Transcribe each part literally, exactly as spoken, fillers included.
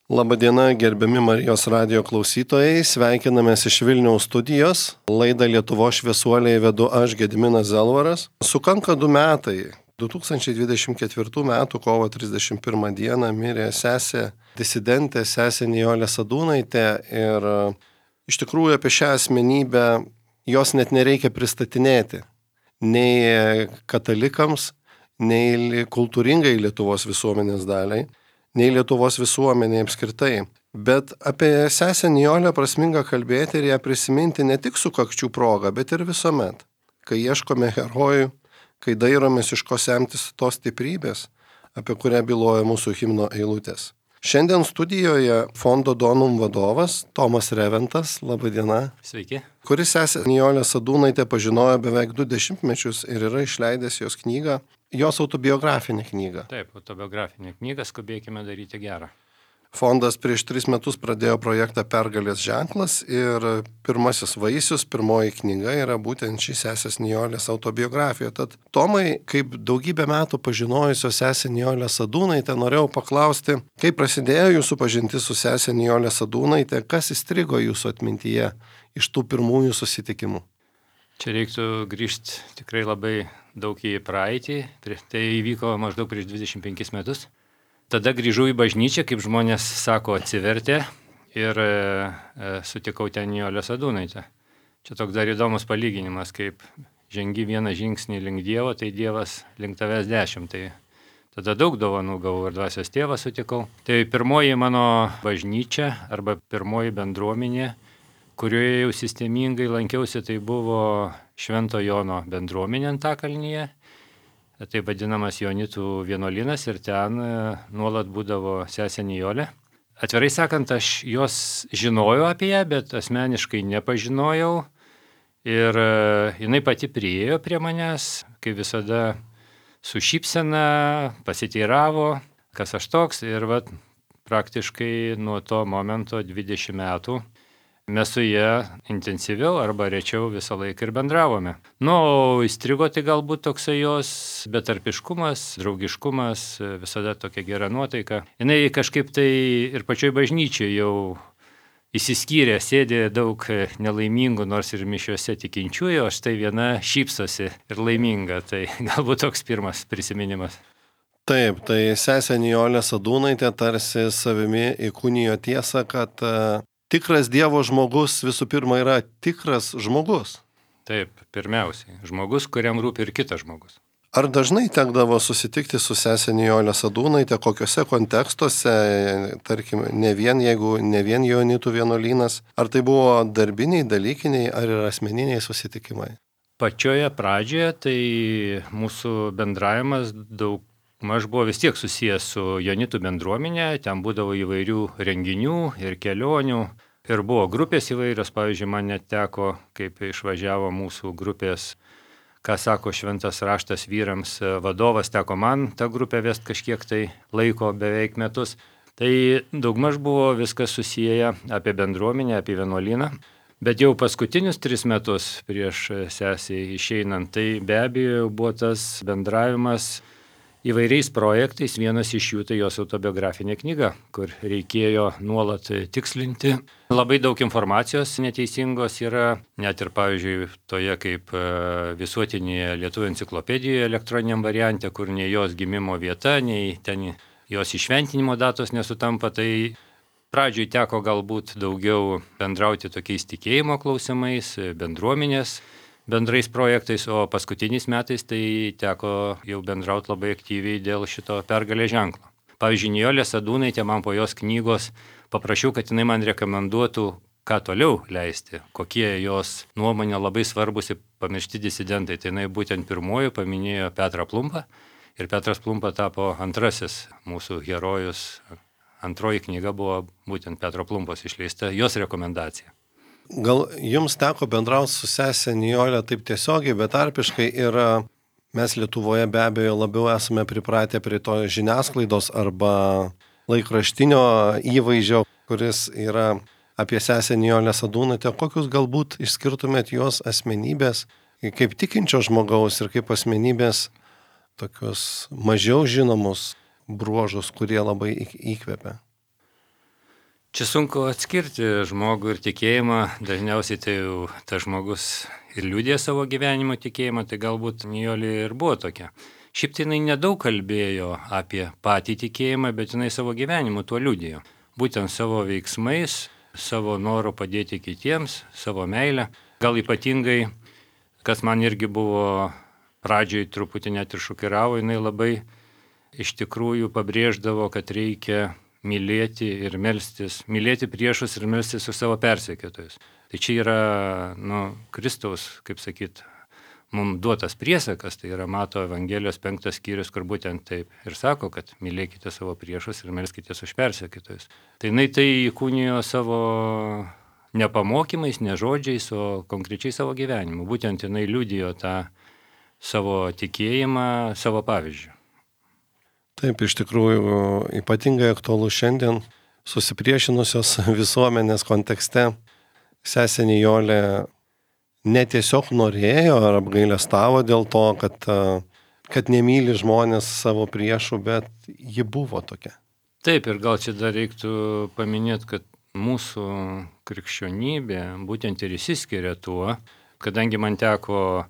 Labadiena, gerbiami Marijos radijo klausytojai, sveikinamės iš Vilniaus studijos. Laidą Lietuvos šviesuoliai vedu aš, Gediminas Zelvaras. Sukanka du metai. du tūkstančiai dvidešimt ketvirtų metų kovo trisdešimt pirmą dieną mirė sesė disidentė, sesė Nijolė Sadūnaitė ir iš tikrųjų apie šią asmenybę jos net nereikia pristatinėti. Nei katalikams, nei kultūringai Lietuvos visuomenės daliai, nei Lietuvos visuomenė apskritai. Bet apie sesę Nijolę prasminga kalbėti ir ją prisiminti ne tik sukakčių proga, bet ir visuomet, kai ieškome herojų, kai dairomės iš ko semtis tos stiprybės, apie kurią byloja mūsų himno eilutės. Šiandien studijoje fondo Donum vadovas Tomas Reventas, laba diena. Sveiki. Kuris sesę Nijolę Sadūnaitę pažinojo beveik du dešimtmečius ir yra išleidęs jos knygą, jos autobiografinę knygą. Taip, autobiografinė knyga, skubėkime daryti gerą. Fondas prieš tris metus pradėjo projektą Pergalės ženklas ir pirmasis vaisius, pirmoji knyga yra būtent ši sesės Nijolės autobiografija. Tad Tomai, kaip daugybę metų pažinojusio sesę Nijolę Sadūnaitę, norėjau paklausti, kaip prasidėjo jūsų pažintis su sesė Nijolė Sadūnaitė, kas įstrigo jūsų atmintyje iš tų pirmųjų susitikimų? Čia reiktų grįžti tikrai labai daug į praeitį, tai įvyko maždaug prieš dvidešimt penkis metus. Tada grįžau į bažnyčią, kaip žmonės sako, atsivertė ir e, sutikau ten Nijolę Sadūnaitę. Čia toks dar įdomus palyginimas, kaip žengi vieną žingsnį link Dievo, tai Dievas link tavęs dešimt. Tai tada daug dovanų gavau ir dvasios tėvą sutikau. Tai pirmoji mano bažnyčia arba pirmoji bendruomenė, kurioje jau sistemingai lankiausi, tai buvo Švento Jono bendruomenė Antakalnyje. Tai vadinamas Jonitų vienuolynas ir ten nuolat būdavo sesė Nijolė. Atvirai sakant, aš jos žinojau apie ją, bet asmeniškai nepažinojau. Ir jinai pati priėjo prie manęs, kaip visada su šypsena, pasiteiravo, kas aš toks. Ir vat, praktiškai nuo to momento dvidešimt metų mes su ją intensyviau arba rečiau visą laiką ir bendravome. Nu, įstrigo tai galbūt toksai jos betarpiškumas, draugiškumas, visada tokia gera nuotaika. Jinai kažkaip tai ir pačioj bažnyčiai jau įsiskyrė, sėdė daug nelaimingų, nors ir mišiuose tikinčiųjų, o štai viena šypsosi ir laiminga. Tai galbūt toks pirmas prisiminimas. Taip, tai sesė Nijolė Sadūnaitė tarsi savimi įkūnijo tiesą, kad tikras Dievo žmogus visų pirma yra tikras žmogus. Taip, pirmiausiai. Žmogus, kuriam rūpi ir kitas žmogus. Ar dažnai tekdavo susitikti su sesė Nijolė Sadūnaitė, kokiuose kontekstuose, tarkim, ne vien jeigu ne vien Jonitų vienuolynas, ar tai buvo darbiniai, dalykiniai ar ir asmeniniai susitikimai? Pačioje pradžioje tai mūsų bendravimas daug maž buvo vis tiek susijęs su Jonitų bendruomenė, ten būdavo įvairių renginių ir kelionių ir buvo grupės įvairios, pavyzdžiui, man net teko, kaip išvažiavo mūsų grupės, ką sako šventas raštas vyrams vadovas, teko man tą grupę vest kažkiek tai laiko, beveik metus. Tai daugmaž buvo viskas susiję apie bendruomenę, apie vienuolyną. Bet jau paskutinius tris metus prieš sesį išeinant, tai be abejo buvo tas bendravimas įvairiais projektais, vienas iš jų tai jos autobiografinė knyga, kur reikėjo nuolat tikslinti. Labai daug informacijos neteisingos yra, net ir pavyzdžiui toje kaip visuotinėje lietuvių enciklopedijoje elektroniniam variante, kur nei jos gimimo vieta, nei ten jos išventinimo datos nesutampa. Tai pradžioj teko galbūt daugiau bendrauti tokiais tikėjimo klausimais, bendruomenės bendrais projektais, o paskutiniais metais tai teko jau bendrauti labai aktyviai dėl šito Pergalės ženklo. Pavyzdžiui, Nijolė Sadūnaitė man po jos knygos paprašiau, kad jinai man rekomenduotų, ką toliau leisti, kokie jos nuomonė labai svarbus ir pamiršti disidentai. Tai jinai būtent pirmoji paminėjo Petrą Plumpą ir Petras Plumpa tapo antrasis mūsų herojus. Antroji knyga buvo būtent Petro Plumpos išleista, jos rekomendacija. Gal jums teko bendrauti su sesė Nijolė taip tiesiogiai, betarpiškai ir mes Lietuvoje be abejo labiau esame pripratę prie to žiniasklaidos arba laikraštinio įvaizdžio, kuris yra apie sesę Nijolę Sadūnaitę. Kokius galbūt išskirtumėt jos asmenybės kaip tikinčio žmogaus ir kaip asmenybės tokius mažiau žinomus bruožus, kurie labai įkvepia? Čia sunku atskirti žmogų ir tikėjimą, dažniausiai tai jau tas žmogus ir liudė savo gyvenimo tikėjimą, tai galbūt Nijolė ir buvo tokia. Šiaip tai jinai nedaug kalbėjo apie patį tikėjimą, bet jinai savo gyvenimu tuo liudėjo. Būtent savo veiksmais, savo noru padėti kitiems, savo meilę. Gal ypatingai, kas man irgi buvo pradžioj truputį net ir šokiravo, jinai labai iš tikrųjų pabrėždavo, kad reikia mylėti ir melstis, mylėti priešus ir melstis už savo persekiotojus. Tai čia yra, nu, Kristaus, kaip sakyt, mums duotas priesakas, tai yra Mato Evangelijos penktas skyrius, kur būtent taip ir sako, kad mylėkite savo priešus ir melskitės už persekiotojus. Tai jinai tai įkūnijo savo ne pamokymais, ne žodžiais, o konkrečiai savo gyvenimu. Būtent jinai liudijo tą savo tikėjimą, savo pavyzdžių. Taip, iš tikrųjų, ypatingai aktualu šiandien susipriešinusios visuomenės kontekste. Sesė Nijolė netiesiog norėjo ar apgailestavo dėl to, kad, kad nemyli žmonės savo priešų, bet ji buvo tokia. Taip, ir gal čia dar reiktų paminėti, kad mūsų krikščionybė būtent ir įsiskiria tuo, kadangi man teko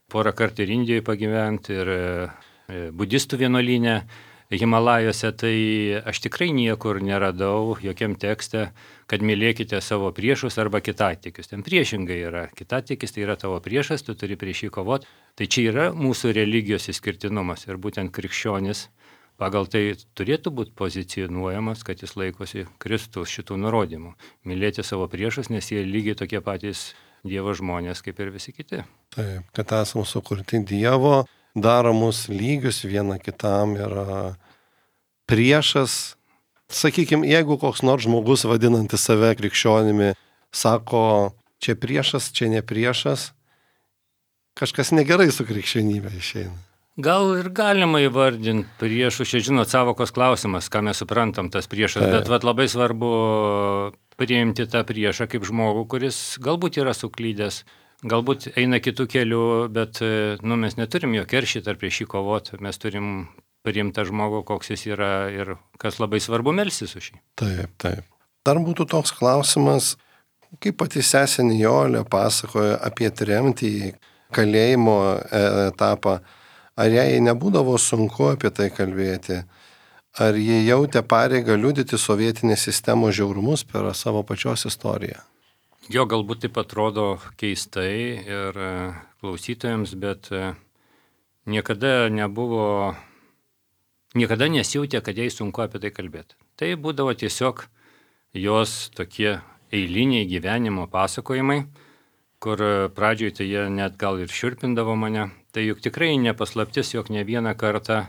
porą kartų ir Indijoje pagyventi, ir budistų vienuolyne, Himalajose, tai aš tikrai niekur neradau jokiam tekste, kad mylėkite savo priešus arba kitatikius. Ten priešingai yra. Kitatikis tai yra tavo priešas, tu turi prieš jį kovoti. Tai čia yra mūsų religijos išskirtinumas ir būtent krikščionis pagal tai turėtų būti pozicionuojamas, kad jis laikosi Kristus šitų nurodymų. Mylėti savo priešus, nes jie lygiai tokie patys Dievo žmonės kaip ir visi kiti. Taip, kad esame sukurti Dievo, daro mus lygius viena kitam ir priešas. Sakykime, jeigu koks nors žmogus vadinantis save krikščionimi sako, čia priešas, čia ne priešas, kažkas negerai su krikščionybė išeina. Gal ir galima įvardinti priešų, čia žinot, savokos klausimas, ką mes suprantam tas priešas, tai. Bet vat, labai svarbu priimti tą priešą kaip žmogų, kuris galbūt yra suklydęs, galbūt eina kitų kelių, bet nu, mes neturim jo keršyti ar prieš jį kovoti, mes turim priimti tą žmogų, koks jis yra ir kas labai svarbu, melstis už jį. Taip, taip. Dar būtų toks klausimas, kaip pati sesė Nijolė pasakoja apie tremtį, kalėjimo etapą, ar jai nebūdavo sunku apie tai kalbėti, ar jie jautė pareigą liudyti sovietinės sistemos žiaurumus per savo pačios istoriją? Jo, galbūt taip atrodo keistai ir klausytojams, bet niekada nebuvo, niekada nesijautė, kad jai sunku apie tai kalbėti. Tai būdavo tiesiog jos tokie eiliniai gyvenimo pasakojimai, kur pradžioje tai jie net gal ir šiurpindavo mane. Tai juk tikrai nepaslaptis, jog ne vieną kartą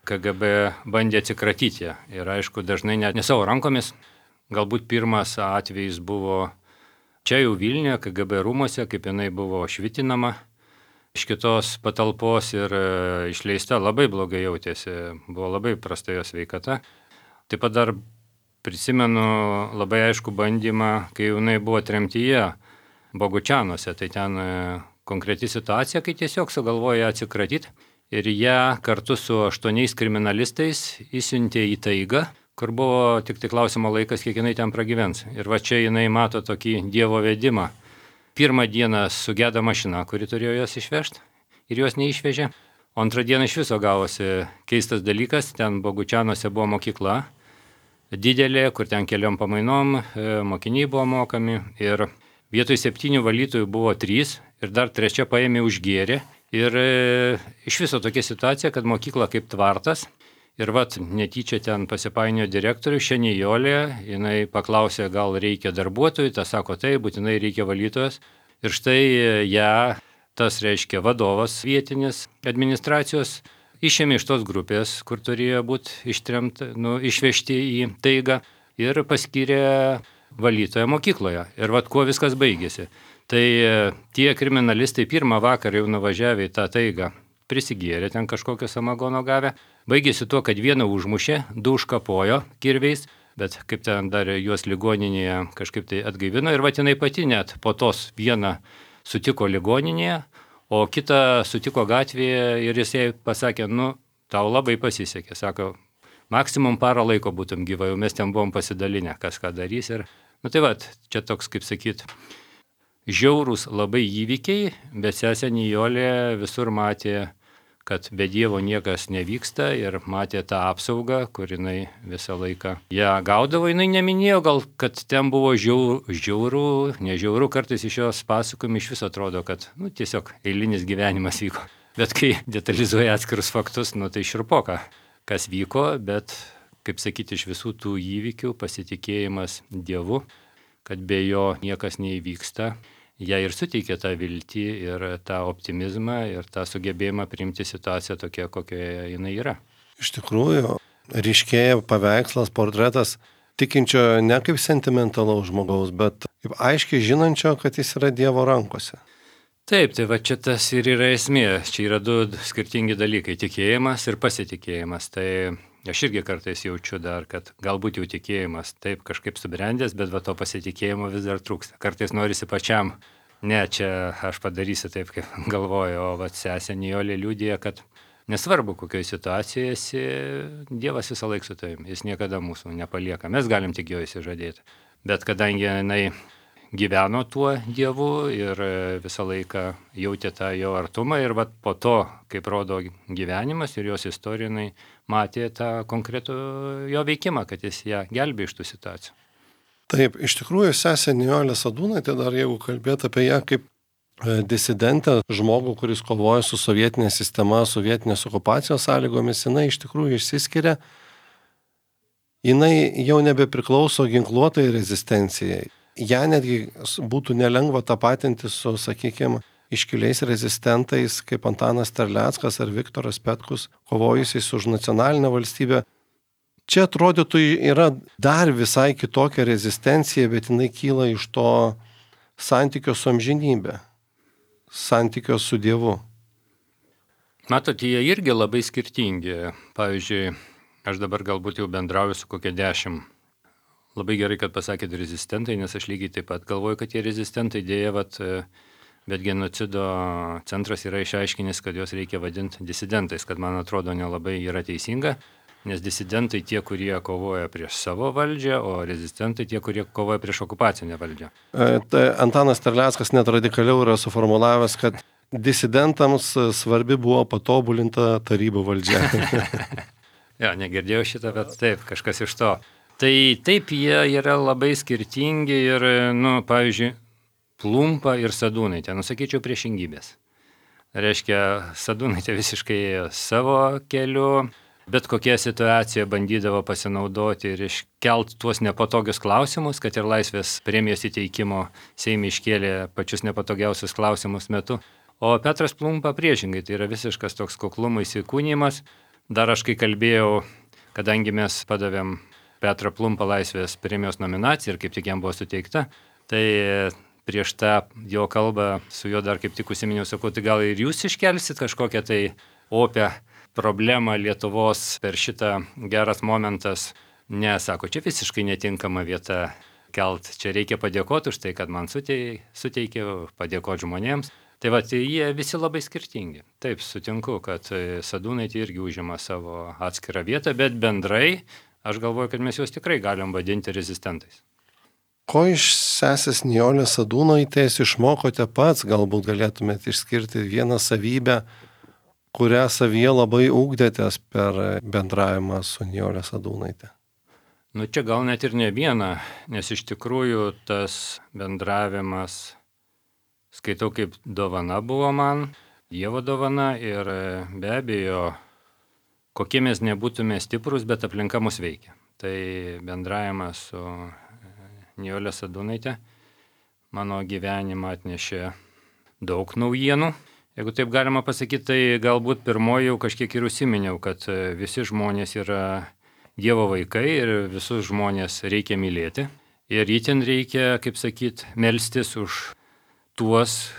K G B bandė atsikratyti ją. Ir aišku, dažnai net ne savo rankomis. Galbūt pirmas atvejis buvo čia jau Vilniuje, K G B rūmose, kaip jinai buvo švitinama iš kitos patalpos ir išleista, labai blogai jautėsi, buvo labai prasta jos sveikata. Taip pat dar prisimenu labai aišku bandymą, kai jinai buvo tremtyje Bogučianuose, tai ten konkreti situacija, kai tiesiog sugalvoja atsikratyti ir ją kartu su aštuoniais kriminalistais įsiuntė į taigą, kur buvo tik tai klausimo laikas, kiek jinai ten pragyvens. Ir va čia jinai mato tokį Dievo vedimą. Pirmą dieną sugeda mašina, kuri turėjo jos išvežti ir jos neišvežė. O antrą dieną iš viso gavosi keistas dalykas, ten Bogučianuose buvo mokykla didelė, kur ten keliom pamainom mokiniai buvo mokami ir vietoj septynių valytojų buvo trys ir dar trečia paėmė užgėrė. Ir iš viso tokia situacija, kad mokykla kaip tvartas. Ir vat netyčia ten pasipainio direktorius, šiandien Nijolė, jinai paklausė, gal reikia darbuotojų, tas sako, tai būtinai reikia valytojos. Ir štai ją, tas reiškia vadovas vietinis administracijos, išėmė iš tos grupės, kur turėjo būti ištremt, nu, išvežti į taigą ir paskyrė valytoją mokykloje. Ir vat kuo viskas baigėsi. Tai tie kriminalistai pirmą vakarą jau nuvažiavę į tą taigą, prisigėrė ten kažkokio samagono gavę. Baigėsi tuo, kad vieną užmušė, du užkapojo kirviais, bet kaip ten dar juos ligoninėje kažkaip tai atgaivino. Ir vatinai pati net po tos vieną sutiko ligoninėje, o kitą sutiko gatvėje ir jis jai pasakė, nu, tau labai pasisekė. Sako, maksimum parą laiko būtum gyvai, jau mes ten buvom pasidalinę, kas ką darys. Ir, nu tai va, čia toks, kaip sakyt, žiaurūs labai įvykiai, bet sesė Nijolė visur matė, kad be Dievo niekas nevyksta ir matė tą apsaugą, kur jinai visą laiką ją gaudavo. Jinai neminėjo gal, kad ten buvo žiaurų, žiaurų nežiaurų, kartais iš jos pasakojimų iš viso atrodo, kad nu, tiesiog eilinis gyvenimas vyko. Bet kai detalizuoja atskirus faktus, nu tai širpoka, kas vyko, bet, kaip sakyti, iš visų tų įvykių pasitikėjimas Dievu, kad be jo niekas neįvyksta, jie ir suteikia tą viltį ir tą optimizmą ir tą sugebėjimą priimti situaciją tokia, kokioje jinai yra. Iš tikrųjų, ryškėja paveikslas, portretas tikinčio ne kaip sentimentalaus žmogaus, bet kaip aiškiai žinančio, kad jis yra Dievo rankose. Taip, tai va čia tas ir yra esmė. Čia yra du skirtingi dalykai - tikėjimas ir pasitikėjimas. Tai aš irgi kartais jaučiu dar, kad galbūt jau tikėjimas taip kažkaip subrendęs, bet va to pasitikėjimo vis dar trūksta. Kartais norisi pačiam, ne, čia aš padarysiu taip, kaip galvoju, o va sesė Nijolė liudija, kad nesvarbu, kokioje situacijoje esi, Dievas visą laiką su tavim, jis niekada mūsų nepalieka, mes galim tik jo įsižadėti. Bet kadangi jinai gyveno tuo Dievu ir visą laiką jautė tą jo artumą ir vat po to, kaip rodo gyvenimas ir jos istorija, jinai matė tą konkretų jo veikimą, kad jis ją gelbė iš tų situacijų. Taip, iš tikrųjų sesė Nijolė Sadūnaitė, dar jeigu kalbėt apie ją kaip disidentę, žmogų, kuris kovoja su sovietinė sistema, sovietinės okupacijos sąlygomis, jinai iš tikrųjų išsiskiria, jinai jau nebepriklauso ginkluotai rezistencijai. Ja netgi būtų nelengva tapatinti su, sakykime, iškiliais rezistentais kaip Antanas Terleckas ar Viktoras Petkus, kovojusiais už nacionalinę valstybę. Čia atrodytų yra dar visai kitokia rezistencija, bet jinai kyla iš to santykio su amžinybė, santykio su Dievu. Matot, jie irgi labai skirtingi. Pavyzdžiui, aš dabar galbūt jau bendrauju su kokia dešimt. Labai gerai, kad pasakėt rezistentai, nes aš lygiai taip pat galvoju, kad tie rezistentai dėja, vat, bet genocido centras yra išaiškinęs, kad juos reikia vadinti disidentais, kad man atrodo nelabai yra teisinga, nes disidentai tie, kurie kovoja prieš savo valdžią, o rezistentai tie, kurie kovoja prieš okupacinę valdžią. E, tai Antanas Terleckas net radikaliau yra suformulavęs, kad disidentams svarbi buvo patobulinta tarybų valdžia. Ja, negirdėjau šitą, bet taip, kažkas iš to. Tai taip, jie yra labai skirtingi ir, nu, pavyzdžiui, Plumpa ir Sadūnaitė, nusakyčiau, priešingybės. Reiškia, Sadūnaitė visiškai savo keliu, bet kokia situacija bandydavo pasinaudoti ir iškelt tuos nepatogius klausimus, kad ir laisvės premijos įteikimo Seime iškėlė pačius nepatogiausius klausimus metu. O Petras Plumpa priešingai, tai yra visiškas toks kuklumo įsikūnymas. Dar aš kai kalbėjau, kadangi mes padavėm Petrą Plumpą laisvės premijos nominaciją ir kaip tik jam buvo suteikta, tai prieš tą jo kalbą su juo dar kaip tik užsiminiau, sakau, tai gal ir jūs iškelsit kažkokią tai opę problemą Lietuvos per šitą geras momentas. Ne, sako, čia visiškai netinkama vieta kelt, čia reikia padėkoti už tai, kad man suteikė, padėkoti žmonėms. Tai va, tai jie visi labai skirtingi. Taip, sutinku, kad Sadūnaitė irgi užima savo atskirą vietą, bet bendrai aš galvoju, kad mes juos tikrai galim vadinti rezistentais. Ko iš sesės Nijolės Sadūnaitės išmokote pats? Galbūt galėtumėte išskirti vieną savybę, kurią savyje labai ugdėtės per bendravimą su Nijolė Sadūnaitė. Nu čia gal net ir ne vieną, nes iš tikrųjų tas bendravimas, skaitau, kaip dovana buvo man, Dievo dovana ir be abejo, kokie mes nebūtume stiprus, bet aplinka mus veikia. Tai bendravimas su Nijolė Sadūnaitė mano gyvenimą atnešė daug naujienų. Jeigu taip galima pasakyti, tai galbūt pirmoji jau kažkiek ir užsiminiau, kad visi žmonės yra Dievo vaikai ir visus žmonės reikia mylėti. Ir itin reikia, kaip sakyt, melstis už tuos,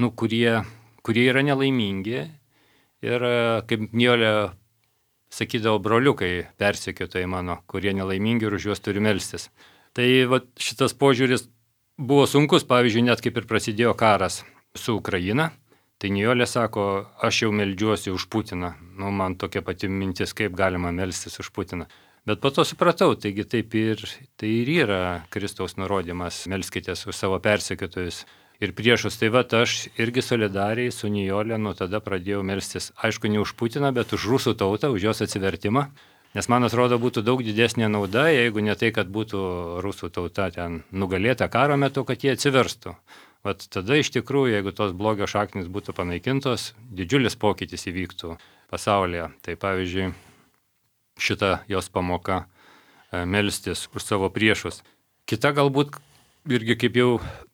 nu, kurie, kurie yra nelaimingi. Ir kaip Nijolė sakydavo, broliukai persekiotojai mano, kurie nelaimingi ir už juos turi melstis. Tai va, šitas požiūris buvo sunkus, pavyzdžiui, net kaip ir prasidėjo karas su Ukraina. Tai Nijolė sako, aš jau meldžiuosi už Putiną. Nu, man tokia pati mintis, kaip galima melstis už Putiną. Bet po to supratau, taigi taip ir, tai ir yra Kristaus nurodymas, melskitės už savo persekiotojus ir priešus. Tai va, aš irgi solidariai su Nijolė nuo tada pradėjau melstis, aišku, ne už Putiną, bet už rusų tautą, už jos atsivertimą. Nes man atrodo, būtų daug didesnė nauda, jeigu ne tai, kad būtų rusų tauta ten nugalėta karo metu, kad jie atsiverstų. Vat tada iš tikrųjų, jeigu tos blogio šaknis būtų panaikintos, didžiulis pokytis įvyktų pasaulyje. Tai pavyzdžiui, šita jos pamoka melstis už savo priešus. Kita galbūt irgi, kaip jau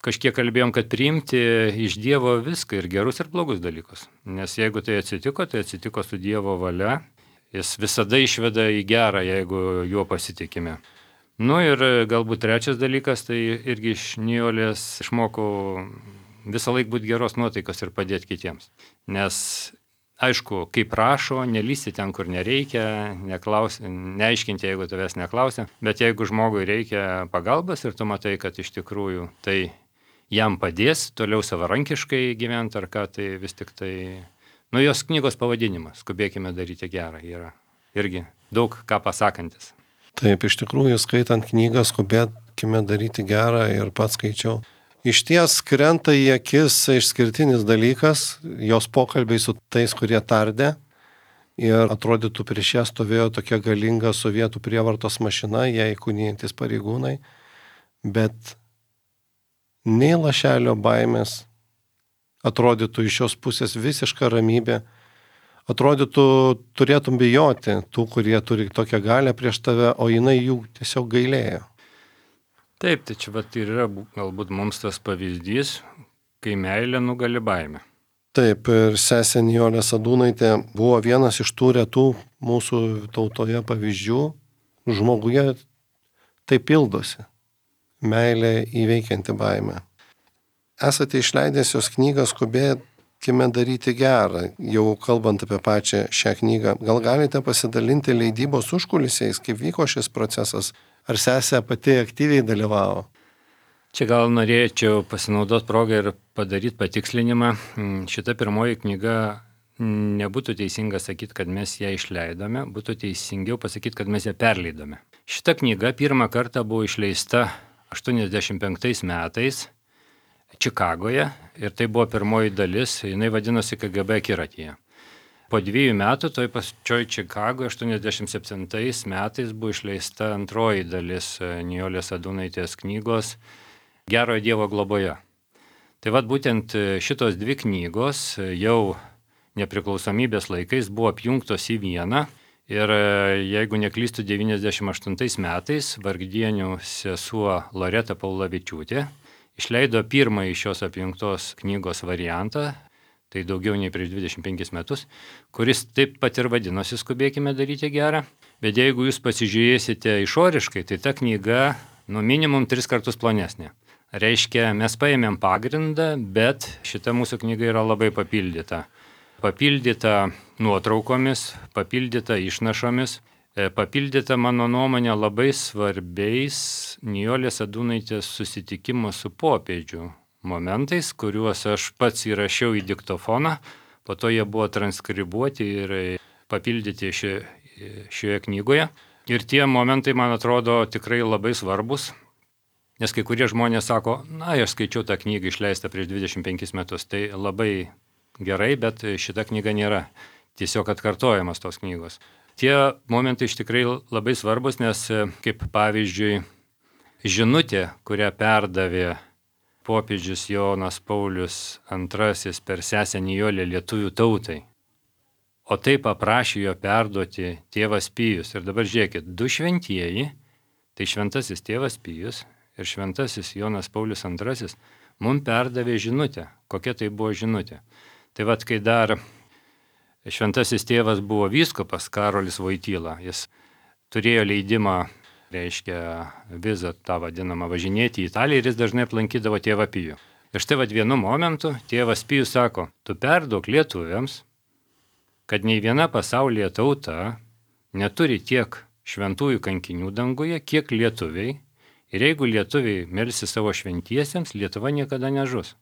kažkiek kalbėjom, kad priimti iš Dievo viską, ir gerus, ir blogus dalykus. Nes jeigu tai atsitiko, tai atsitiko su Dievo valia. Jis visada išveda į gerą, jeigu juo pasitikime. Nu ir galbūt trečias dalykas, tai irgi iš Nijolės išmokau visą laiką būti geros nuotaikos ir padėti kitiems. Nes, aišku, kaip prašo, nelysti ten, kur nereikia, neklaus, neaiškinti, jeigu tavęs neklausia, bet jeigu žmogui reikia pagalbas ir tu matai, kad iš tikrųjų tai jam padės toliau savarankiškai gyventi ar ką, tai vis tik tai... Nu, jos knygos pavadinimas, skubėkime daryti gerą, yra irgi daug ką pasakantis. Taip, iš tikrųjų, skaitant knygą, skubėkime daryti gerą ir pats skaičiau. Iš ties krenta į akis išskirtinis dalykas, jos pokalbiai su tais, kurie tardė. Ir atrodytų, prieš ją stovėjo tokia galinga sovietų prievartos mašina, jai įkūnijantis pareigūnai. Bet nei lašelio baimės, atrodytų iš šios pusės visiška ramybė, atrodytų turėtum bijoti tų, kurie turi tokią galią prieš tave, o jinai jų tiesiog gailėjo. Taip, tai čia vat ir yra galbūt mums tas pavyzdys, kai meilė nugali baimę. Taip, ir sesė Nijolė Sadūnaitė buvo vienas iš tų retų mūsų tautoje pavyzdžių. Žmoguje tai pildosi. Meilė įveikianti baimę. Esate išleidęs jos knygą Skubėkime daryti gerą, jau kalbant apie pačią šią knygą. Gal galite pasidalinti leidybos užkulisiais, kaip vyko šis procesas? Ar sesė pati aktyviai dalyvavo? Čia gal norėčiau pasinaudoti progą ir padaryti patikslinimą. Šita pirmoji knyga, nebūtų teisinga sakyti, kad mes ją išleidome, būtų teisingiau pasakyti, kad mes ją perleidome. Šita knyga pirmą kartą buvo išleista aštuoniasdešimt penktais metais Čikagoje ir tai buvo pirmoji dalis, jinai vadinosi K G B akiratyje. Po dviejų metų toj pačioj Čikagoje aštuoniasdešimt septintais metais buvo išleista antroji dalis Nijolės Sadūnaitės knygos Gerojo Dievo globoje. Tai vad būtent šitos dvi knygos jau nepriklausomybės laikais buvo apjungtos į vieną ir jeigu neklystu devyniasdešimt aštuntais metais Vargdienių sesuo Loreta Paulavičiūtė išleido pirmąjį šios apjungtos knygos variantą, tai daugiau nei prieš dvidešimt penkis metus, kuris taip pat ir vadinosi Skubėkime daryti gerą. Bet jeigu jūs pasižiūrėsite išoriškai, tai ta knyga nu minimum tris kartus plonesnė. Reiškia, mes paėmėm pagrindą, bet šita mūsų knyga yra labai papildyta. Papildyta nuotraukomis, papildyta išnašomis, papildyta mano nuomonė labai svarbiais Nijolės Sadūnaitės susitikimo su popiežiu momentais, kuriuos aš pats įrašiau į diktofoną, po to jie buvo transkribuoti ir papildyti ši, šioje knygoje. Ir tie momentai, man atrodo, tikrai labai svarbus, nes kai kurie žmonės sako, na, aš skaičiau tą knygą išleistą prieš dvidešimt penkis metus, tai labai gerai, bet šita knyga nėra tiesiog atkartojamas tos knygos. Tie momentai iš tikrai labai svarbus, nes kaip pavyzdžiui žinutė, kurią perdavė popiežius Jonas Paulius antrasis per sesę Nijolę lietuvių tautai, o taip paprašė jo perduoti tėvas Pijus. Ir dabar žiūrėkit, du šventieji, tai šventasis tėvas Pijus ir šventasis Jonas Paulius antrasis, mums perdavė žinutę. Kokia tai buvo žinutė? Tai vad, kai dar šventasis tėvas buvo vyskupas Karolis Voityla, jis turėjo leidimą, reiškia vizą tą vadinamą važinėti į Italiją ir jis dažnai aplankydavo tėvą Pijų. Ir štai vad vienu momentu tėvas Pijus sako, tu perduok lietuviams, kad nei viena pasaulyje tauta neturi tiek šventųjų kankinių danguje, kiek lietuviai, ir jeigu lietuviai melsi savo šventiesiems, Lietuva niekada nežus.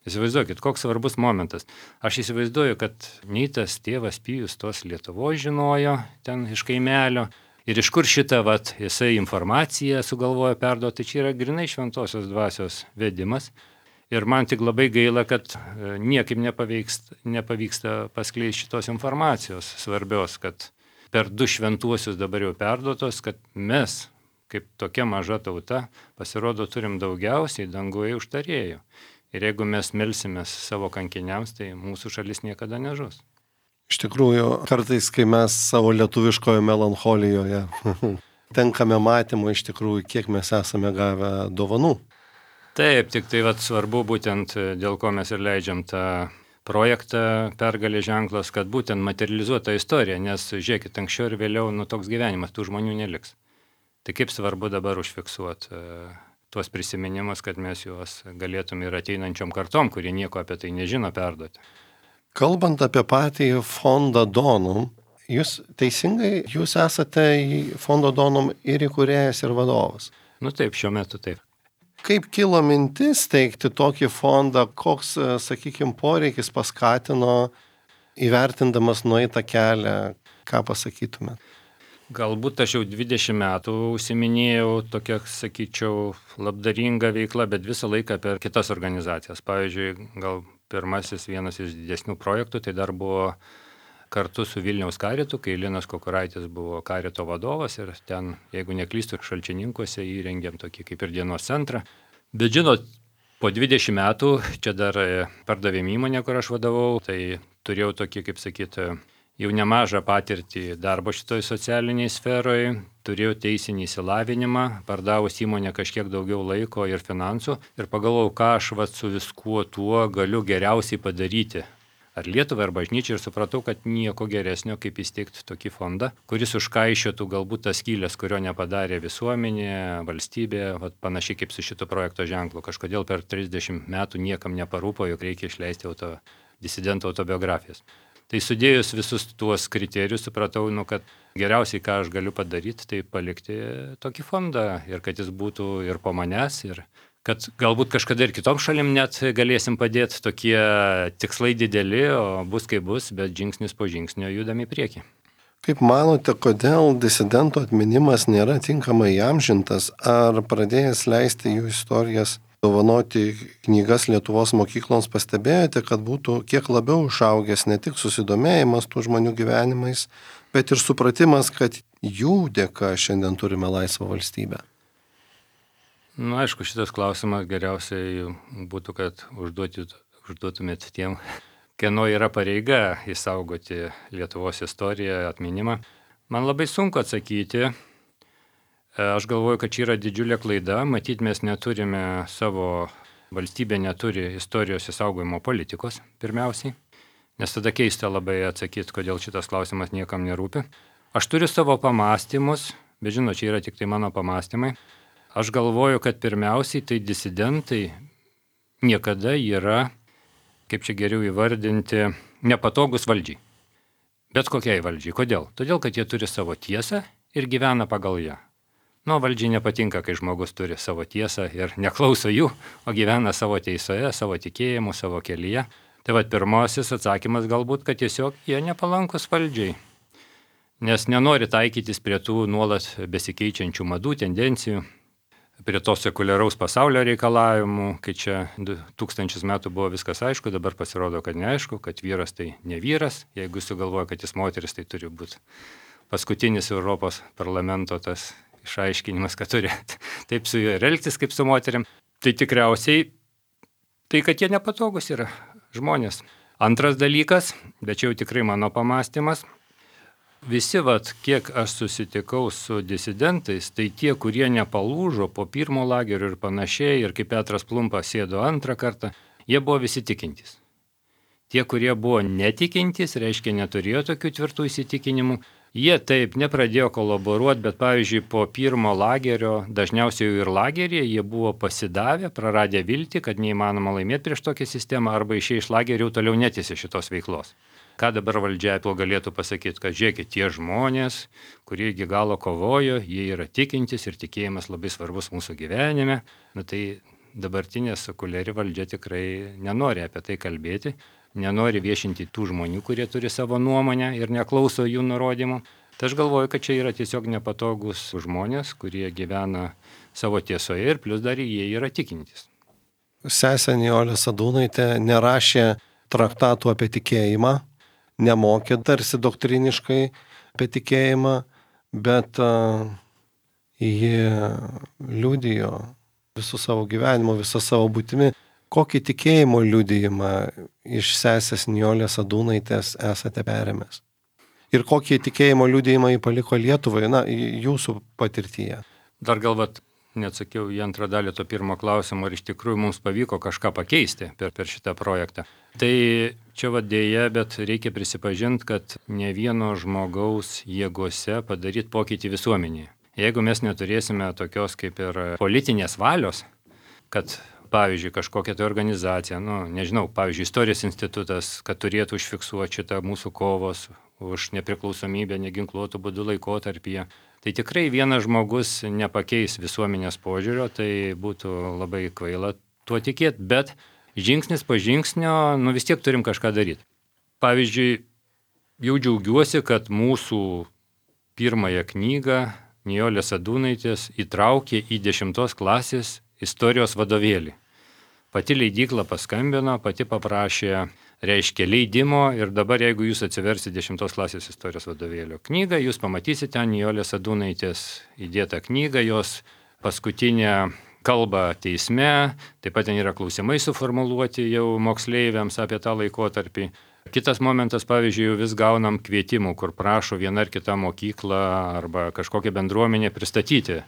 Įsivaizduokit, koks svarbus momentas. Aš įsivaizduoju, kad nei tas tėvas Pijus tos Lietuvos žinojo ten iš kaimelio ir iš kur šitą vat, jisai informaciją sugalvojo perduoti. Čia yra grinai šventosios dvasios vedimas. Ir man tik labai gaila, kad niekaip nepavyksta, nepavyksta paskleisti šitos informacijos svarbios, kad per du šventuosius dabar jau perduotos, kad mes, kaip tokia maža tauta, pasirodo turim daugiausiai danguje užtarėjų. Ir jeigu mes melsimės savo kankiniams, tai mūsų šalis niekada nežus. Iš tikrųjų, kartais, kai mes savo lietuviškoje melancholijoje tenkame matymą iš tikrųjų, kiek mes esame gavę dovanų. Taip, tik tai vat, svarbu būtent dėl ko mes ir leidžiam tą projektą Pergalės ženklas, kad būtent materializuota istorija, nes žiūrėkit, anksčiau ir vėliau nu, toks gyvenimas, tų žmonių neliks. Tai kaip svarbu dabar užfiksuoti tuos prisiminimus, kad mes juos galėtum ir ateinančiom kartom, kurie nieko apie tai nežino, perduoti. Kalbant apie patį fondą Donum, jūs teisingai, jūs esate fondo Donum ir įkūrėjas ir vadovas. Nu taip, šiuo metu taip. Kaip kilo mintis steigti tokį fondą, koks, sakykime, poreikis paskatino įvertindamas nueitą kelią, ką pasakytumėt? Galbūt aš jau dvidešimt metų užsiminėjau tokia, sakyčiau, labdaringa veikla, bet visą laiką per kitas organizacijas. Pavyzdžiui, gal pirmasis vienas iš didesnių projektų, tai dar buvo kartu su Vilniaus karitu, kai Linas Kukuraitis buvo karito vadovas ir ten, jeigu neklystu, Šalčininkuose įrengėm tokį kaip ir dienos centrą. Bet žinot, po dvidešimt metų, čia dar pardavėm įmonę, kur aš vadovau, tai turėjau tokį, kaip sakyti, jau nemažą patirtį darbo šitoj socialiniai sferoje, turėjau teisinį įsilavinimą, pardavus įmonę kažkiek daugiau laiko ir finansų ir pagalvojau, ką aš vat, su viskuo tuo galiu geriausiai padaryti. Ar Lietuvai, ar bažnyčiai ir supratau, kad nieko geresnio, kaip įsteigti tokį fondą, kuris užkaišiotų galbūt tas skylės, kurio nepadarė visuomenė, valstybė, vat, panašiai kaip su šito projekto ženklu. Kažkodėl per trisdešimt metų niekam neparūpo, jog reikia išleisti auto, disidentų autobiografijas. Tai sudėjus visus tuos kriterijus, supratau, nu, kad geriausiai, ką aš galiu padaryti, tai palikti tokį fondą ir kad jis būtų ir po manęs, ir kad galbūt kažkada ir kitom šalim net galėsim padėti, tokie tikslai dideli, o bus kaip bus, bet žingsnis po žingsnio judam į priekį. Kaip manote, kodėl disidentų atminimas nėra tinkamai įamžintas, ar pradėjęs leisti jų istorijas dovanoti knygas Lietuvos mokykloms pastebėjote, kad būtų kiek labiau išaugęs ne tik susidomėjimas tų žmonių gyvenimais, bet ir supratimas, kad jų dėka šiandien turime laisvą valstybę? Na, aišku, šitas klausimas geriausiai būtų, kad užduoti, užduotumėt tiem, kieno yra pareiga išsaugoti Lietuvos istoriją, atminimą. Man labai sunku atsakyti. Aš galvoju, kad čia yra didžiulė klaida, matyt, mes neturime savo, valstybė neturi istorijos įsaugojimo politikos, pirmiausiai, nes tada keista labai atsakyti, kodėl šitas klausimas niekam nerūpi. Aš turiu savo pamąstymus, bet žinot, čia yra tik tai mano pamąstymai. Aš galvoju, kad pirmiausiai tai disidentai niekada yra, kaip čia geriau įvardinti, nepatogus valdžiai. Bet kokiai valdžiai. Kodėl? Todėl, kad jie turi savo tiesą ir gyvena pagal ją. Nu, valdžiai nepatinka, kai žmogus turi savo tiesą ir neklauso jų, o gyvena savo teisoje, savo tikėjimu, savo kelyje. Tai vad pirmasis atsakymas galbūt, kad tiesiog jie nepalankus valdžiai, nes nenori taikytis prie tų nuolat besikeičiančių madų, tendencijų, prie to sekuliaraus pasaulio reikalavimų, kai čia du tūkstančius metų buvo viskas aišku, dabar pasirodo, kad neaišku, kad vyras tai ne vyras, jeigu sugalvoja, kad jis moteris, tai turi būti paskutinis Europos parlamento tas išaiškinimas, kad turi taip su juo elgtis kaip su moteriam, tai tikriausiai tai, kad jie nepatogus yra žmonės. Antras dalykas, bet čia jau tikrai mano pamąstymas, visi, vat, kiek aš susitikau su disidentais, tai tie, kurie nepalūžo po pirmo lagerio ir panašiai, ir kaip Petras Plumpa sėdo antrą kartą, jie buvo visi tikintys. Tie, kurie buvo netikintys, reiškia neturėjo tokių tvirtų įsitikinimų, jie taip nepradėjo kolaboruoti, bet pavyzdžiui po pirmo lagerio, dažniausiai jau ir lageryje, jie buvo pasidavę, praradę viltį, kad neįmanoma laimėti prieš tokią sistemą arba išėję iš lagerio toliau netęsė šitos veiklos. Ką dabar valdžia tuo galėtų pasakyti, kad žiūrėkit, tie žmonės, kurie iki galo kovojo, jie yra tikintys ir tikėjimas labai svarbus mūsų gyvenime. Na tai dabartinė sekuliari valdžia tikrai nenori apie tai kalbėti, nenori viešinti tų žmonių, kurie turi savo nuomonę ir neklauso jų nurodymų. Tai aš galvoju, kad čia yra tiesiog nepatogus žmonės, kurie gyvena savo tiesoje ir plus dar jie yra tikintys. Sesė Nijolė Sadūnaitė nerašė traktatų apie tikėjimą, nemokė tarsi doktriniškai apie tikėjimą, bet uh, ji liudijo visų savo gyvenimo, visą savo būtimi. Kokį tikėjimo liudijimą iš sesės Nijolės Sadūnaitės esate perėmęs? Ir kokį tikėjimo liudijimą jį paliko Lietuvai, na, jūsų patirtyje? Dar galvat, neatsakiau į antrą dalį to pirmo klausimo, ar iš tikrųjų mums pavyko kažką pakeisti per, per šitą projektą. Tai čia vadėja, bet reikia prisipažinti, kad ne vieno žmogaus jėgose padaryti pokytį visuomenėje. Jeigu mes neturėsime tokios kaip ir politinės valios, kad, pavyzdžiui, kažkokia tai organizacija, nu, nežinau, pavyzdžiui, Istorijos institutas, kad turėtų užfiksuoti šitą mūsų kovos už nepriklausomybę neginkluotų būdų laikotarpyje, tai tikrai vienas žmogus nepakeis visuomenės požiūrio, tai būtų labai kvaila tuo tikėti, bet žingsnis po žingsnio, nu vis tiek turim kažką daryti. Pavyzdžiui, jau džiaugiuosi, kad mūsų pirmąją knygą Nijolės Sadūnaitės įtraukė į dešimtos klasės istorijos vadovėlį. Pati leidykla paskambino, pati paprašė, reiškia, leidimo ir dabar, jeigu jūs atsiversite dešimtos klasės istorijos vadovėlio knygą, jūs pamatysite Nijolės Sadūnaitės įdėtą knygą, jos paskutinę kalbą teisme, taip pat ten yra klausimai suformuluoti jau moksleiviams apie tą laikotarpį. Kitas momentas, pavyzdžiui, vis gaunam kvietimų, kur prašo viena ar kita mokykla arba kažkokia bendruomenė pristatyti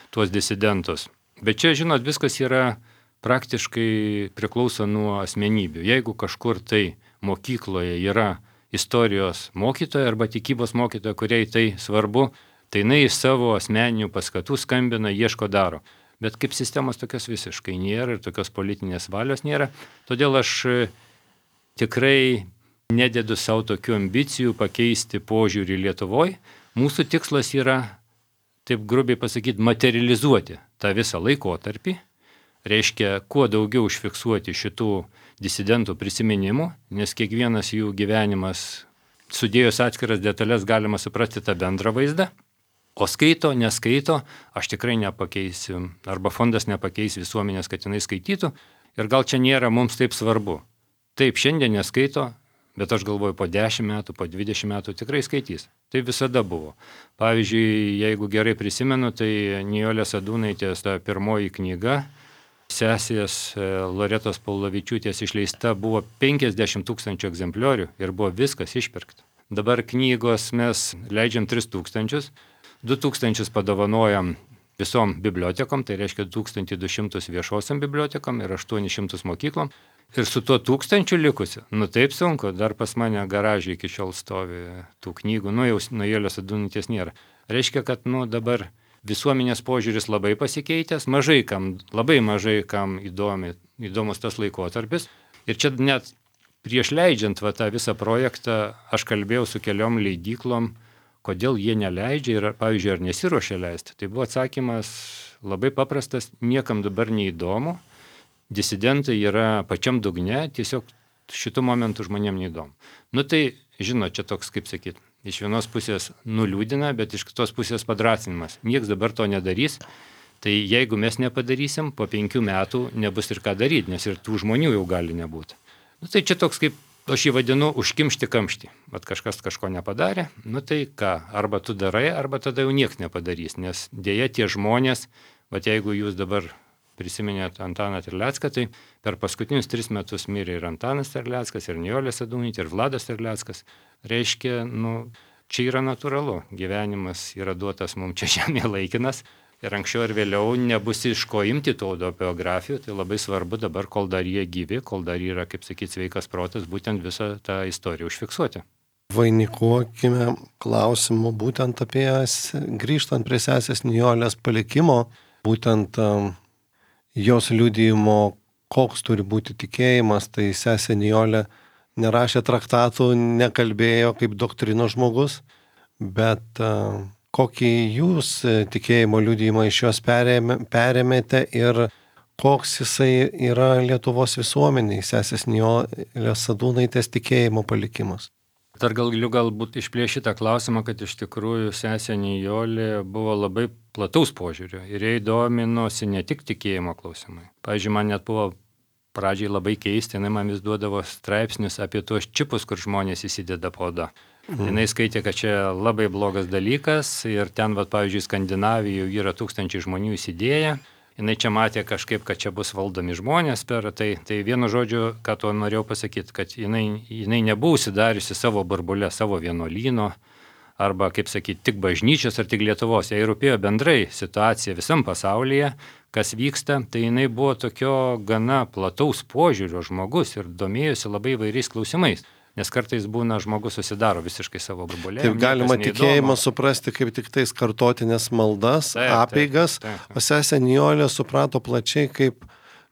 tuos disidentus. Bet čia, žinot, viskas yra praktiškai priklauso nuo asmenybių. Jeigu kažkur tai mokykloje yra istorijos mokytoja arba tikybos mokytoja, kuriai tai svarbu, tai jinai iš savo asmeninių paskatų skambina, ieško, daro. Bet kaip sistemos tokios visiškai nėra ir tokios politinės valios nėra, todėl aš tikrai nededu savo tokių ambicijų pakeisti požiūrį Lietuvoje. Mūsų tikslas yra, taip grubiai pasakyti, materializuoti tą visą laikotarpį. Reiškia, kuo daugiau užfiksuoti šitų disidentų prisiminimų, nes kiekvienas jų gyvenimas, sudėjus atskiras detalės, galima suprasti tą bendrą vaizdą. O skaito, neskaito, aš tikrai nepakeisiu, arba fondas nepakeis visuomenės, kad jinai skaitytų. Ir gal čia nėra mums taip svarbu. Taip, šiandien neskaito, bet aš galvoju, po dešimt metų, po dvidešimt metų tikrai skaitys. Tai visada buvo. Pavyzdžiui, jeigu gerai prisimenu, tai Nijolės Sadūnaitės ta pirmoji knyga, sesės Loretos Paulavičiūtės išleista, buvo penkiasdešimt tūkstančių egzempliorių ir buvo viskas išpirkta. Dabar knygos mes leidžiam tris tūkstančius, du tūkstančius padovanojam visom bibliotekom, tai reiškia tūkstantį du šimtus viešosiam bibliotekom ir aštuonis šimtus mokyklom. Ir su tuo tūkstančiu likusiu, nu taip sunku, dar pas mane garažai iki šiol stovi tų knygų, nu jau Nijolės Sadūnaitės nėra. Reiškia, kad nu dabar visuomenės požiūris labai pasikeitęs, mažai kam, labai mažai kam įdomi, įdomus tas laikotarpis. Ir čia net prieš leidžiant va, tą visą projektą, aš kalbėjau su keliom leidyklom, kodėl jie neleidžia ir, pavyzdžiui, ar nesiruošia leisti. Tai buvo atsakymas labai paprastas, niekam dabar neįdomu, disidentai yra pačiam dugne, tiesiog šitų momentų žmonėm neįdomu. Nu tai, žinot, čia toks, kaip sakyt, iš vienos pusės nuliūdina, bet iš kitos pusės padrasinimas. Niekas dabar to nedarys, tai jeigu mes nepadarysim, po penkių metų nebus ir ką daryti, nes ir tų žmonių jau gali nebūti. Nu tai čia toks, kaip aš jį vadinu, užkimšti kamštį. Vat kažkas kažko nepadarė, nu tai ką, arba tu darai, arba tada jau niekas nepadarys, nes dėja tie žmonės, vat jeigu jūs dabar prisiminėt Antaną Terlecką, tai per paskutinius tris metus mirė ir Antanas Terleckas, ir Nijolė Sadūnaitė, ir Vladas Terleckas. Reiškia, nu, čia yra natūralu. Gyvenimas yra duotas mums čia žemėje laikinas ir anksčiau ir vėliau nebus iš ko imti tų autobiografijų. Tai labai svarbu dabar, kol dar jie gyvi, kol dar yra, kaip sakyti, sveikas protas, būtent visą tą istoriją užfiksuoti. Vainikuokime klausimu būtent apie, grįžtant prie sesės Nijolės palikimo, būtent um, jos liudijimo, koks turi būti tikėjimas, tai sesė Nijolė nerašė traktatų, nekalbėjo kaip doktrino žmogus, bet uh, kokį jūs tikėjimo liudijimą iš jos perėmė, perėmėte ir koks jisai yra Lietuvos visuomeniai, sesės Nijolės Sadūnaitės tikėjimo palikimas. Dar galiu galbūt išplėšti tą klausimą, kad iš tikrųjų sesė Nijolė buvo labai plataus požiūrio ir jai dominosi ne tik tikėjimo klausimai. Pavyzdžiui, man net buvo pradžiai labai keisti, jinai man vis duodavo straipsnius apie tuos čipus, kur žmonės įsideda po oda. Mm. Jinai skaitė, kad čia labai blogas dalykas ir ten, va, pavyzdžiui, Skandinavijoje yra tūkstančiai žmonių įsidėję. Jinai čia matė kažkaip, kad čia bus valdomi žmonės per tai. Tai vienu žodžiu, ką to norėjau pasakyti, kad jinai, jinai nebuvo užsidariusi savo burbulę, savo vienuolyno, arba, kaip sakyti, tik bažnyčios ar tik Lietuvos. Jai rūpėjo bendrai situacija visam pasaulyje, kas vyksta. Tai jinai buvo tokio gana plataus požiūrio žmogus ir domėjosi labai įvairiais klausimais. Nes kartais būna žmogus susidaro visiškai savo burbulę. Taip galima tikėjimą suprasti kaip tik tais kartotinės maldas, taip, apeigas, taip, taip, taip. O sesė Nijolė suprato plačiai kaip,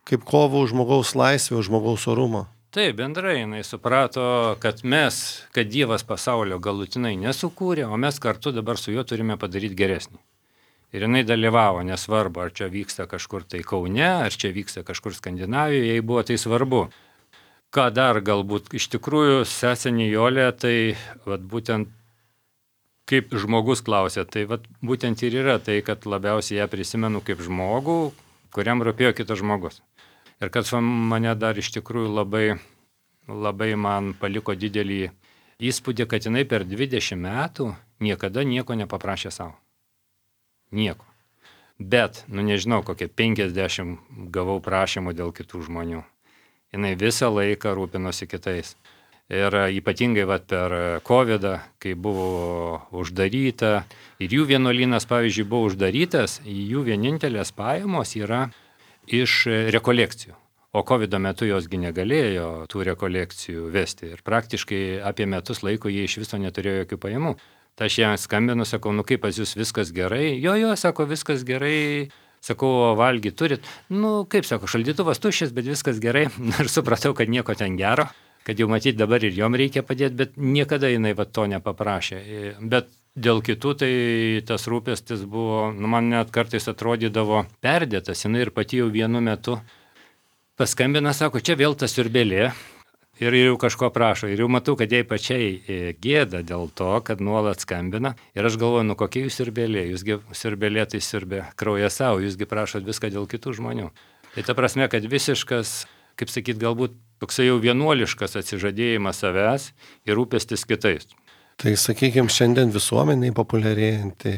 kaip kovą už žmogaus laisvę, už žmogaus orumą. Taip, bendrai jinai suprato, kad mes, kad Dievas pasaulio galutinai nesukūrė, o mes kartu dabar su juo turime padaryti geresnį. Ir jinai dalyvavo, nesvarbu, ar čia vyksta kažkur tai Kaune, ar čia vyksta kažkur Skandinavijoje, jai buvo tai svarbu. Ką dar galbūt iš tikrųjų sesė Nijolė, tai vat, būtent kaip žmogus klausė, tai vat, būtent ir yra tai, kad labiausiai ją prisimenu kaip žmogų, kuriam rūpėjo kitas žmogus. Ir kad mane dar iš tikrųjų labai, labai man paliko didelį įspūdį, kad jinai per dvidešimt metų niekada nieko nepaprašė savo. Nieko. Bet, nu nežinau, kokie penkiasdešimt gavau prašymų dėl kitų žmonių. Jinai visą laiką rūpinosi kitais. Ir ypatingai vat, per kovidą, kai buvo uždaryta, ir jų vienuolynas, pavyzdžiui, buvo uždarytas, jų vienintelės pajamos yra iš rekolekcijų. O kovido metu josgi negalėjo tų rekolekcijų vesti. Ir praktiškai apie metus laiko jie iš viso neturėjo jokių pajamų. Tai aš jam skambinu, sakau, nu kaip pas jūs viskas gerai? Jo, jo, sako, viskas gerai. Sakau, valgy turit? Nu, kaip sako, šaldytuvas tuščias, bet viskas gerai. Ir supratau, kad nieko ten gero, kad jau matyti dabar ir jom reikia padėti, bet niekada jinai va to nepaprašė. Bet dėl kitų tai tas rūpestis buvo, nu, man net kartais atrodydavo perdėtas, jinai ir pati jau vienu metu paskambina, sako, čia vėl ta siurbėlė. Ir jau kažko prašo. Ir jau matau, kad jai pačiai gėda dėl to, kad nuolat skambina. Ir aš galvoju, nu kokie jūs siurbėlė? Jūsgi siurbėlė tai siurbė kraują savo, jūsgi prašot viską dėl kitų žmonių. Tai ta prasme, kad visiškas, kaip sakyt, galbūt toksai jau vienuoliškas atsižadėjimas savęs ir rūpestis kitais. Tai, sakykime, šiandien visuomeniai populiarėjanti,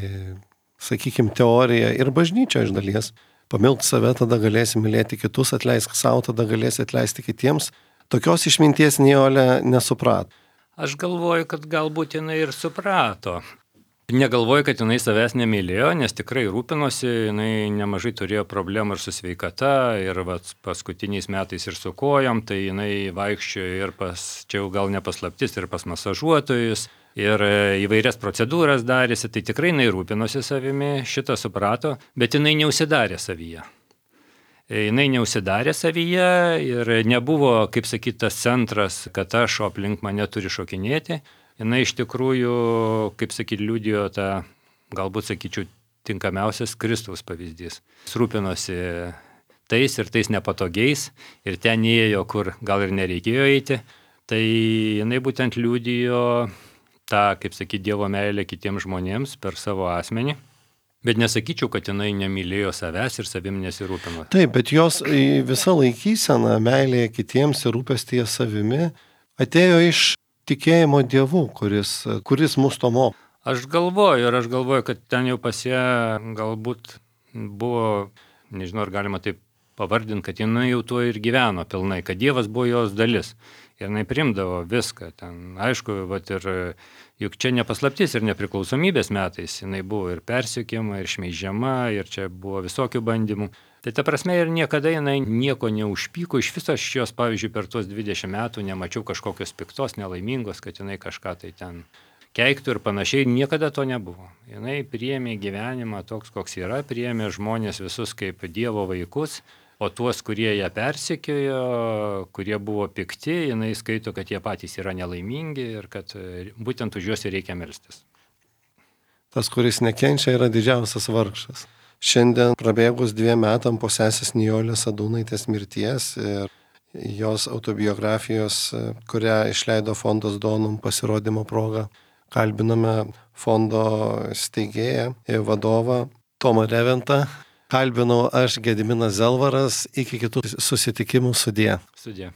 sakykime, teorija ir bažnyčia iš dalies. Pamilk save, tada galėsi mylėti kitus, atleisk savo, tada galėsi atleisti kitiems. Tokios išminties Nijolė nesuprato. Aš galvoju, kad galbūt jinai ir suprato. Negalvoju, kad jinai savęs nemylėjo, nes tikrai rūpinosi, jinai nemažai turėjo problemų ir su sveikata, ir vat, paskutiniais metais ir su kojom, tai jinai vaikščiojo ir pas, čia jau gal nepaslaptis, ir pas masažuotojus, ir įvairias procedūras darėsi, tai tikrai jinai rūpinosi savimi, šitą suprato, bet jinai neužsidarė savyje. Jinai neužsidarė savyje ir nebuvo, kaip sakyti, tas centras, kad aš aplink mane turi šokinėti. Jinai iš tikrųjų, kaip sakyti, liudijo tą, galbūt sakyčiau, tinkamiausias Kristaus pavyzdys. Rūpinosi tais ir tais nepatogiais ir ten ėjo, kur gal ir nereikėjo eiti. Tai jinai būtent liudijo tą, kaip sakyti, Dievo meilę kitiems žmonėms per savo asmenį. Bet nesakyčiau, kad jinai nemylėjo savęs ir savim nesirūpino. Taip, bet jos visa laikysena, meilė kitiems ir rūpestyje savimi atėjo iš tikėjimo Dievu, kuris, kuris mus to moko. Aš galvoju ir aš galvoju, kad ten jau pas ją galbūt buvo, nežinau, ar galima taip pavardinti, kad jinai jau tuo ir gyveno pilnai, kad Dievas buvo jos dalis. Ir jinai primdavo viską. Ten, aišku, vat ir juk čia nepaslaptis ir nepriklausomybės metais. Jinai buvo ir persekiojama, ir šmeižiama, ir čia buvo visokių bandymų. Tai ta prasme ir niekada jinai nieko neužpyko. Iš viso aš jos, pavyzdžiui, per tuos dvidešimt metų nemačiau kažkokios piktos, nelaimingos, kad jinai kažką tai ten keiktų ir panašiai. Niekada to nebuvo. Jinai priėmė gyvenimą toks, koks yra, priėmė žmonės visus kaip Dievo vaikus. O tuos, kurie ją persekiojo, kurie buvo pikti, jinai skaito, kad jie patys yra nelaimingi ir kad būtent už juos reikia melstis. Tas, kuris nekenčia, yra didžiausias vargšas. Šiandien prabėgus dviem metam po sesės Nijolės Sadūnaitės mirties ir jos autobiografijos, kurią išleido fondas Donum pasirodymo proga, kalbiname fondo steigėją ir vadovą Tomą Reventą. Kalbinau aš Gediminas Zelvaras. Iki kitų susitikimų. Sudie. Sudie.